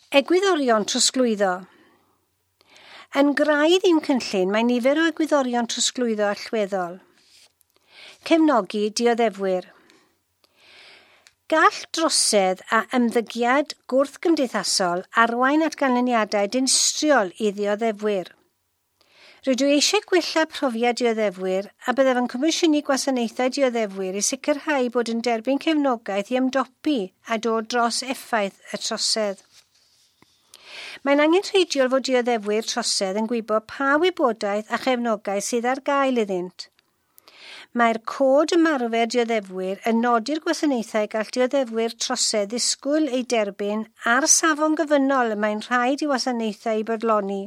Egwyddorion trosglwyddo. Yn graidd i'n cynllun mae nifer o egwyddorion trosglwyddo allweddol. Cefnogi dioddefwyr. Gall drosedd a ymddygiad gwrthgymdeithasol arwain at ganlyniadau dinistriol i ddioddefwyr. Rydw i eisiau gwella profiad dioddefwyr a byddaf yn comisiynu gwasanaethau dioddefwyr i sicrhau bod yn derbyn cefnogaeth i ymdopi a dod dros effaith y trosedd. Mae'n angenrheidiol fod dioddefwyr trosedd yn gwybod pa wybodaeth a chefnogaeth sydd ar gael iddynt. Mae'r cod ymarfer dioddefwyr yn nodi'r gwasanaethau gall dioddefwyr trosedd ddisgwyl eu derbyn a'r safon gyfynol y mae'n rhaid i wasanaethau eu bodloni.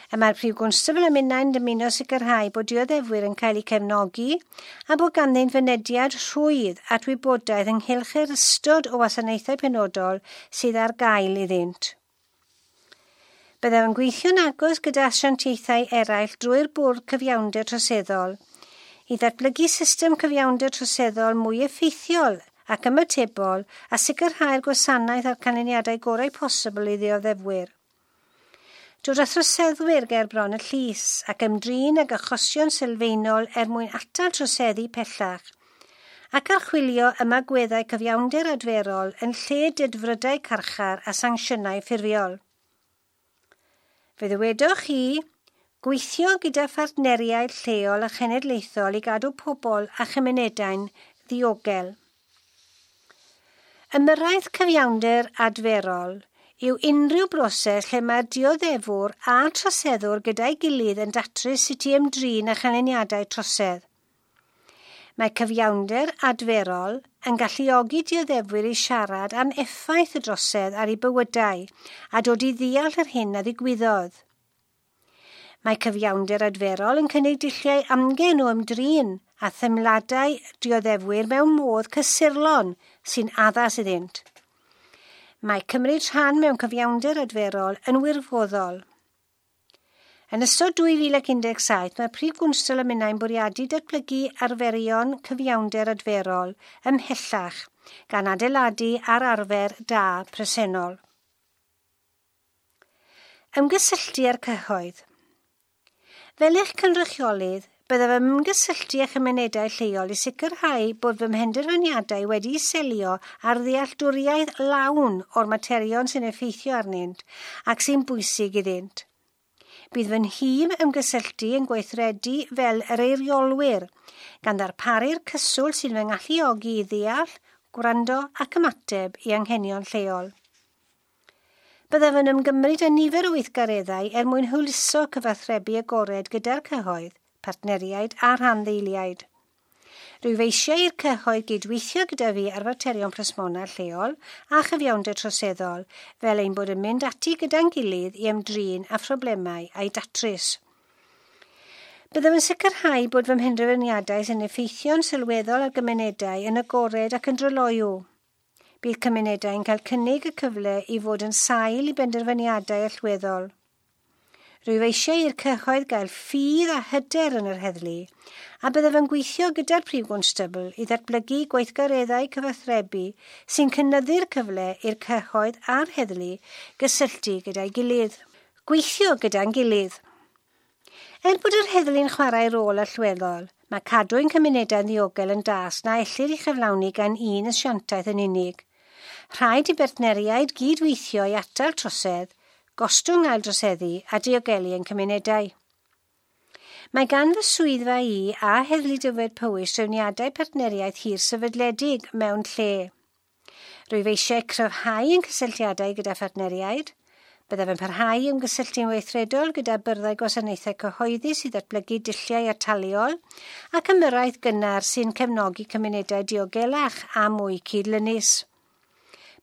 Y mae'r Prif Gwnstabl a minnau'n dymuno sicrhau bod dioddefwyr yn cael eu cefnogi a bod ganddynt fynediad rhwydd at wybodaeth ynghylch yr ystod o wasanaethau penodol sydd ar gael iddynt. Byddaf yn gweithio'n agos gyda asiantaethau eraill drwy'r Bwrdd Cyfiawnder Troseddol i ddatblygu system cyfiawnder troseddol mwy effeithiol ac ymatebol a sicrhau'r gwasanaeth a'r canlyniadau gorau posibl i ddioddefwyr. Dod â throseddwyr ger bron y llys ac ymdrin ag achosion sylfaenol er mwyn atal troseddu pellach ac archwilio ymagweddau cyfiawnder adferol yn lle dedfrydau carchar a sancsiynau ffurfiol. Fe ddywedoch chi, gweithio gyda phartneriaid lleol a chenedlaethol i gadw pobl a chymunedau'n ddiogel. Ymyrraeth cyfiawnder adferol yw unrhyw broses lle mae'r dioddefwr a'r troseddwr gyda'i gilydd yn datrys sut i ymdrin â chanlyniadau trosedd. Mae cyfiawnder adferol yn galluogi dioddefwyr i siarad am effaith y drosedd ar eu bywydau a dod i ddeall yr hyn a ddigwyddodd. Mae cyfiawnder adferol yn cynnig dulliau amgen o ymdrin a thymladau dioddefwyr mewn modd cysurlon sy'n addas iddynt. Mae cymryd rhan mewn cyfiawnder adferol yn wirfoddol. Yn ystod 2017, mae'r Prif Gwnstabl a minnau'n bwriadu datblygu arferion cyfiawnder adferol ymhellach gan adeiladu ar arfer da presennol. Ymgysylltu â'r cyhoedd. Fel eich cynrychiolydd, byddaf yn ymgysylltu â chymunedau lleol i sicrhau bod fy mhenderfyniadau wedi'u selio ar ddealltwriaeth lawn o'r materion sy'n effeithio arnynt ac sy'n bwysig iddynt. Bydd fy nhîm ymgysylltu yn gweithredu fel yr eiriolwyr, gan ddarparu'r cyswllt sy'n fy ngalluogi i ddeall, gwrando ac ymateb i anghenion lleol. Byddaf yn ymgymryd â nifer o weithgareddau er mwyn hwyluso cyfathrebu agored gyda'r cyhoedd, partneriaid a rhanddeiliaid. Rwyf eisiau i'r cyhoedd gydweithio gyda fi ar faterion plismona lleol a chyfiawnder troseddol, fel ein bod yn mynd ati gyda'n gilydd i ymdrin â phroblemau a'i datrys. Byddaf yn sicrhau bod fy mhenderfyniadau sy'n effeithio'n sylweddol ar gymunedau yn agored ac yn dryloyw. Bydd cymunedau yn cael cynnig y cyfle i fod yn sail i benderfyniadau allweddol. Rwyf eisiau i'r cyhoedd gael ffydd a hyder yn yr heddlu, a byddaf yn gweithio gyda'r Prif Gwnstabl i ddatblygu gweithgareddau cyfathrebu sy'n cynyddu'r cyfle i'r cyhoedd a'r heddlu gysylltu gyda'i gilydd. Gweithio gyda'n gilydd. Er bod yr heddlu'n chwarae rôl allweddol, mae cadw ein cymunedau'n ddiogel yn dasg na ellir ei chyflawni gan un asiantaeth yn unig. Rhaid i bartneriaid gydweithio i atal trosedd, gostwng aildroseddu a diogelu ein cymunedau. Mae gan fy swyddfa i a Heddlu Dyfed Powys trefniadau partneriaeth hir sefydledig mewn lle. Rwyf eisiau cryfhau ein cysylltiadau gyda phartneriaid. Byddaf yn parhau i ymgysylltu'n weithredol gyda byrddau gwasanaethau cyhoeddus i ddatblygu dulliau ataliol ac ymyrraeth gynnar sy'n cefnogi cymunedau diogelach a mwy cydlynus.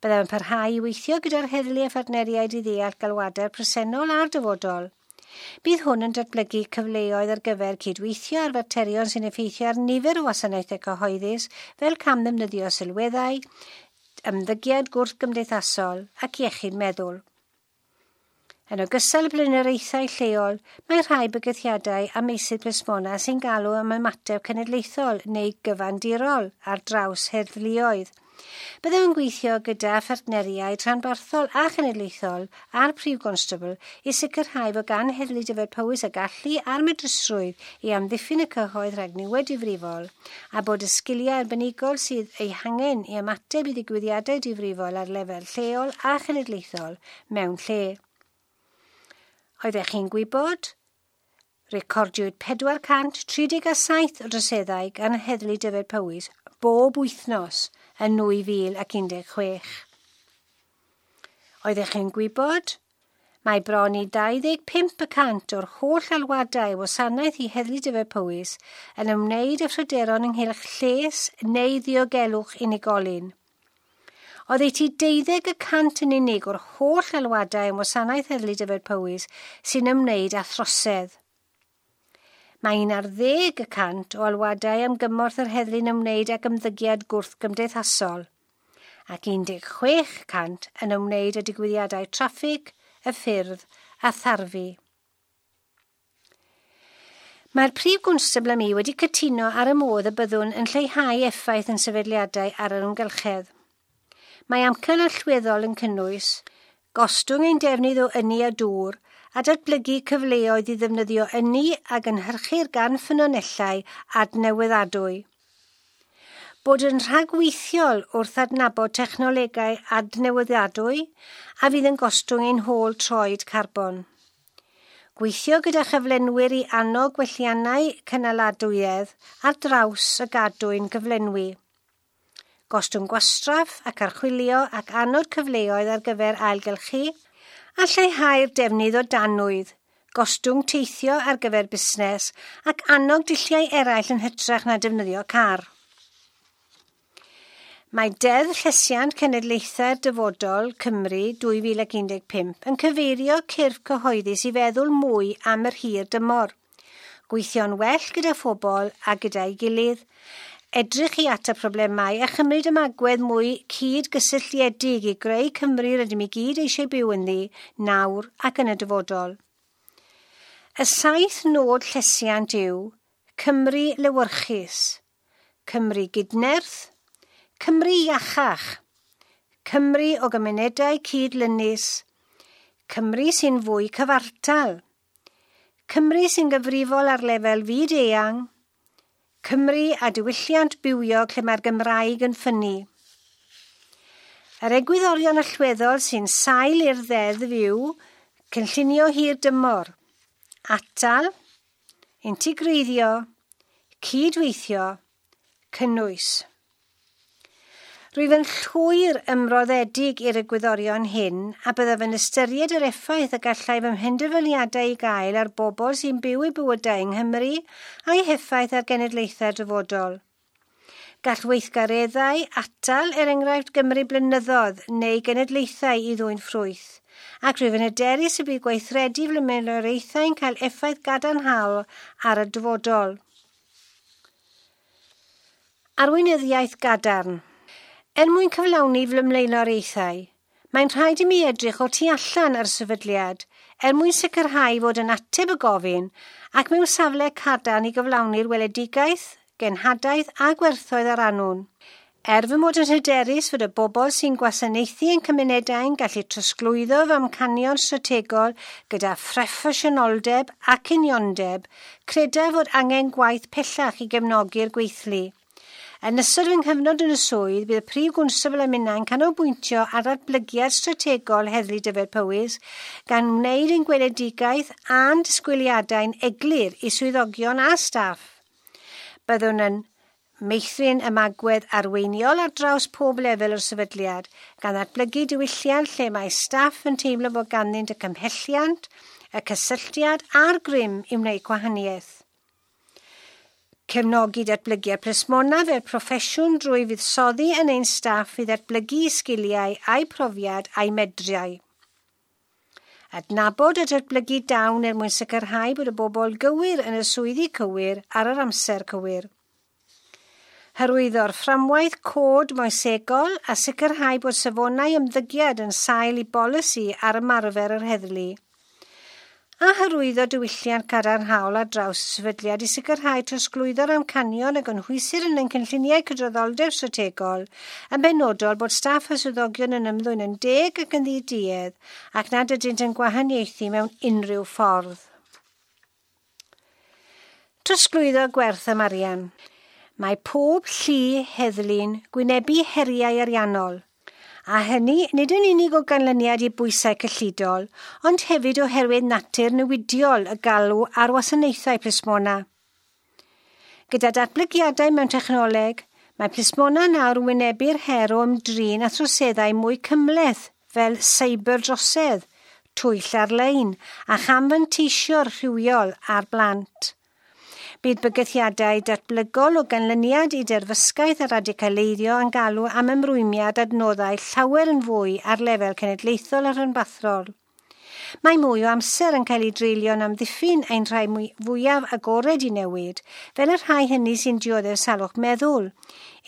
Byddaf yn parhau i weithio gyda'r heddlu a phartneriaid i ddeall galwadau'r presennol a'r dyfodol. Bydd hwn yn datblygu cyfleoedd ar gyfer cydweithio ar faterion sy'n effeithio ar nifer o wasanaethau cyhoeddus fel camddefnyddio sylweddau, ymddygiad gwrthgymdeithasol ac iechyd meddwl. Yn ogystal â blaenoriaethau lleol, mae rhai bygythiadau a meysydd plismona sy'n galw am ymateb cenedlaethol neu gyfandirol ar draws heddluoedd. Byddem yn gweithio gyda phartneriaid rhanbarthol a chenedlaethol a'r Prif Gwnstabl i sicrhau fod gan Heddlu Dyfed Powys y gallu a'r medrusrwydd i amddiffyn y cyhoedd rhag niwed difrifol a bod y sgiliau arbenigol sydd eu hangen i ymateb i ddigwyddiadau difrifol ar lefel lleol a chenedlaethol mewn lle. Oeddech chi'n gwybod? Recordiwyd 437 o droseddau gan Heddlu Dyfed Powys bob wythnos yn 2016. Oeddech chi'n gwybod? Mae bron i 25% o'r holl alwadau wasanaeth i Heddlu Dyfed Powys yn ymwneud â phryderon ynghylch lles neu ddiogelwch unigolyn. Oddeutu 12% yn unig o'r holl alwadau yn wasanaeth Heddlu Dyfed Powys sy'n ymwneud â throsedd. Mae 11% o alwadau am gymorth yr heddlu'n ymwneud ag ymddygiad gwrthgymdeithasol ac 16% yn ymwneud â digwyddiadau traffig, y ffyrdd a tharfu. Mae'r Prif Gwnstabl a mi wedi cytuno ar y modd y byddwn yn lleihau effaith yn sefydliadau ar yr amgylchedd. Mae amcan allweddol yn cynnwys gostwng ein defnydd o ynni a dŵr a datblygu cyfleoedd i ddefnyddio ynni a gynhyrchir gan ffynonellau adnewyddadwy. Bod yn rhagweithiol wrth adnabod technolegau adnewyddadwy a fydd yn gostwng ein hôl troed carbon. Gweithio gyda chyflenwyr i annog gwelliannau cynaladwyedd ar draws y gadwyn gyflenwi. Gostwng gwastraff ac archwilio ac annog cyfleoedd ar gyfer ailgylchu a lleihau'r defnydd o danwydd, gostwng teithio ar gyfer busnes ac annog dulliau eraill yn hytrach na defnyddio car. Mae Deddf Llesiant Cenedlaethau'r Dyfodol Cymru 2015 yn cyfeirio cyrff cyhoeddus i feddwl mwy am yr hir dymor, gweithio'n well gyda phobl a gyda'i gilydd, edrych i at y problemau a chymryd ymagwedd mwy cyd-gysylltiedig i greu Cymru rydym i gyd eisiau byw ynddi nawr ac yn y dyfodol. Y 7 nod llesiant yw Cymru lewyrchus, Cymru gydnerth, Cymru iachach, Cymru o gymunedau cydlynus, Cymru sy'n fwy cyfartal, Cymru sy'n gyfrifol ar lefel fyd eang, Cymru a diwylliant bywiog lle mae'r Gymraeg yn ffynnu. Yr egwyddorion allweddol sy'n sail i'r ddeddf yw cynllunio hir dymor, atal, integreiddio, cydweithio, cynnwys. Rwyf yn llwyr ymroddedig i'r egwyddorion hyn a byddaf yn ystyried yr effaith y gallai fy mhenderfyniadau i gael ar bobl sy'n byw eu bywydau yng Nghymru a'i heffaith ar genedlaethau'r dyfodol. Gall weithgareddau atal er enghraifft Gymru blynyddoedd neu genedlaethau i ddwyn ffrwyth, ac rwyf yn hyderus y bydd gweithredu flaenoriaethau'n cael effaith gadarnhaol ar y dyfodol. Arweinyddiaeth gadarn. Er mwyn cyflawni fy mlaenoriaethau, mae'n rhaid i mi edrych o tu allan ar sefydliad er mwyn sicrhau fod yn ateb y gofyn ac mewn safle cadarn i gyflawni'r weledigaeth, genhadaeth a gwerthoedd ar annwn. Er fy mod yn hyderus fod y bobl sy'n gwasanaethu ein cymunedau'n gallu trosglwyddo fy amcanion strategol gyda phroffesiynoldeb ac uniondeb, credaf fod angen gwaith pellach i gefnogi'r gweithlu. Yn ystod fy nghyfnod yn y swydd, bydd y Prif Gwnstabl a minnau'n canolbwyntio ar ddatblygiad strategol Heddlu Dyfed Powys, gan wneud ein gweledigaeth a'n disgwyliadau'n eglur i swyddogion a staff. Byddwn yn meithrin ymagwedd arweiniol ar draws pob lefel o'r sefydliad, gan ddatblygu diwylliant lle mae staff yn teimlo bod ganddynt y cymhelliant, y cysylltiad a'r grym i wneud gwahaniaeth. Cefnogi datblygiad plismona fel proffesiwn drwy fuddsoddi yn ein staff i ddatblygu sgiliau a'u profiad a'u medriau. Adnabod a datblygu dawn er mwyn sicrhau bod y bobl gywir yn y swyddi cywir ar yr amser cywir. Hyrwyddo'r fframwaith cod moesegol a sicrhau bod safonau ymddygiad yn sail i bolisi ar ymarfer yr heddlu. A hyrwyddo diwylliant cadarnhaol ar draws y sefydliad i sicrhau trosglwyddo'r amcanion a gynhwysir yn ein cynlluniau cydraddoldeb strategol, yn benodol bod staff a swyddogion yn ymddwyn yn deg ac yn ddiduedd ac nad ydynt yn gwahaniaethu mewn unrhyw ffordd. Trosglwyddo gwerth am arian. Mae pob llu heddlu'n gwynebu heriau ariannol – a hynny nid yn unig o ganlyniad i bwysau cyllidol, ond hefyd oherwydd natur newidiol y galw ar wasanaethau plismona. Gyda datblygiadau mewn technoleg, mae plismona nawr yn wynebu'r her o ymdrin a throseddau mwy cymhleth fel seiberdrosedd, twyll ar-lein a chamfanteisio'r rhywiol ar blant. Bydd bygythiadau datblygol o ganlyniad i derfysgaeth a radicaleiddio yn galw am ymrwymiad adnoddau llawer yn fwy ar lefel cenedlaethol a rhanbarthol. Mae mwy o amser yn cael ei dreulio'n amddiffyn ein rhai fwyaf agored i newid, fel y rhai hynny sy'n dioddef salwch meddwl,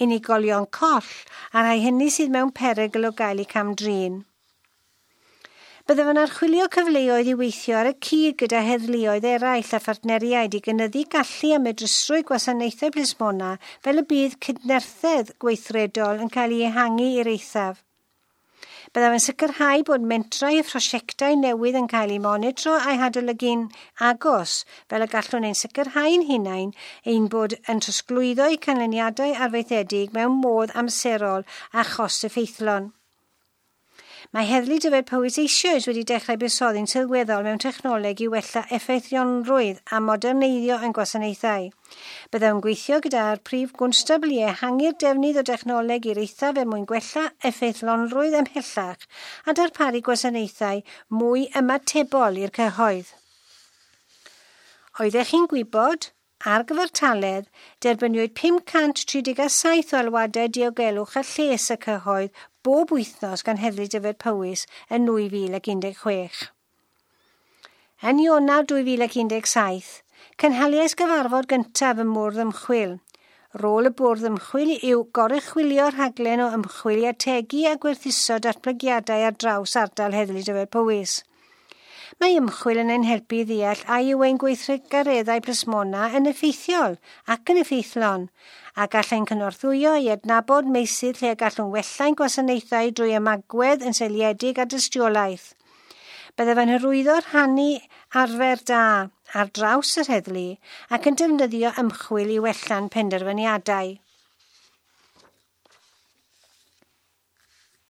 unigolion coll a rhai hynny sydd mewn perygl o gael eu cam-drin. Byddaf yn archwilio cyfleoedd i weithio ar y cyd gyda heddluoedd eraill a phartneriaid i gynyddu gallu a medrusrwydd gwasanaethau plismona fel y bydd cydnerthedd gweithredol yn cael ei ehangu i'r eithaf. Byddaf yn sicrhau bod mentrau a phrosiectau newydd yn cael eu monitro a'u hadolygu'n agos, fel y gallwn ein sicrhau'n hunain ein bod yn trosglwyddo eu canlyniadau arfaethedig mewn modd amserol a chost effeithlon. Mae Heddlu Dyfed Powys eisoes wedi dechrau buddsoddi'n sylweddol mewn technoleg i wella effeithlonrwydd a moderneiddio ein gwasanaethau. Byddwn yn gweithio gyda'r prif gwnstabl i ehangu'r defnydd o dechnoleg i'r eithaf er mwyn gwella effeithlonrwydd ymhellach a darparu gwasanaethau mwy ymatebol i'r cyhoedd. Oeddech chi'n gwybod? Ar gyfartaledd, derbyniwyd 537 o alwadau diogelwch a lles y cyhoedd bob wythnos gan Heddlu Dyfed Powys yn 2016. Yn Ionawr 2017, cynhaliais gyfarfod gyntaf ym Mwrdd Ymchwil. Rôl y Bwrdd Ymchwil yw goruchwylio rhaglen o ymchwil i ategu a gwerthuso datblygiadau ar draws ardal Heddlu Dyfed Powys. Mae ymchwil yn ein helpu i ddeall a yw ein gweithgareddau plismona yn effeithiol ac yn effeithlon, a gall ein cynorthwyo i adnabod meysydd lle y gallwn wella'n gwasanaethau drwy ymagwedd yn seiliedig ar dystiolaeth. Byddaf yn hyrwyddo rhannu arfer da ar draws yr heddlu ac yn defnyddio ymchwil i wella'n penderfyniadau.